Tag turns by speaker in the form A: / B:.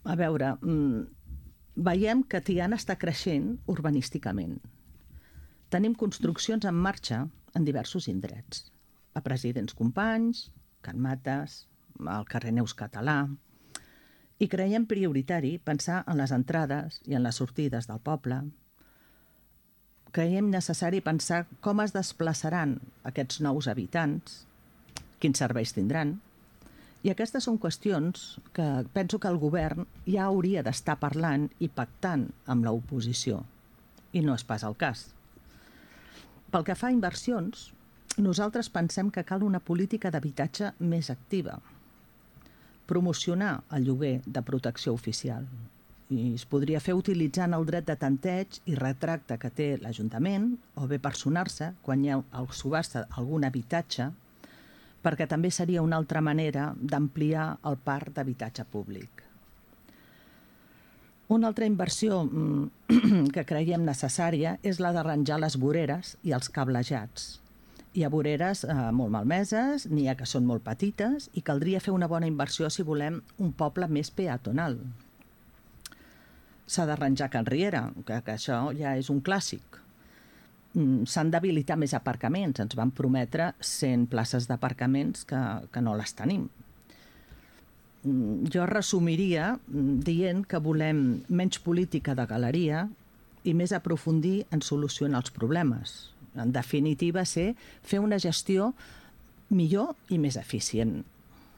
A: A veure, veiem que Tiana està creixent urbanísticament. Tenim construccions en marxa en diversos indrets. A Presidents Companys, Can Mates, al carrer Neus Català. I creiem prioritari pensar en les entrades i en les sortides del poble. Creiem necessari pensar com es desplaçaran aquests nous habitants, quins serveis tindran. I aquestes són qüestions que penso que el govern ja hauria d'estar parlant i pactant amb l'oposició. I no és pas el cas. Pel que fa a inversions, nosaltres pensem que cal una política d'habitatge més activa. Promocionar el lloguer de protecció oficial. I es podria fer utilitzant el dret de tanteig i retracte que té l'Ajuntament o bé personar-se quan hi ha el subhasta algun habitatge, perquè també seria una altra manera d'ampliar el parc d'habitatge públic. Una altra inversió que creiem necessària és la d'arranjar les voreres i els cablejats. Hi ha voreres molt malmeses, n'hi ha que són molt petites i caldria fer una bona inversió si volem un poble més peatonal. S'ha d'arranjar Can Riera, que això ja és un clàssic. S'han d'habilitar més aparcaments. Ens van prometre 100 places d'aparcaments que no les tenim. Jo resumiria dient que volem menys política de galeria i més aprofundir en solucionar els problemes. En definitiva, fer una gestió millor i més eficient.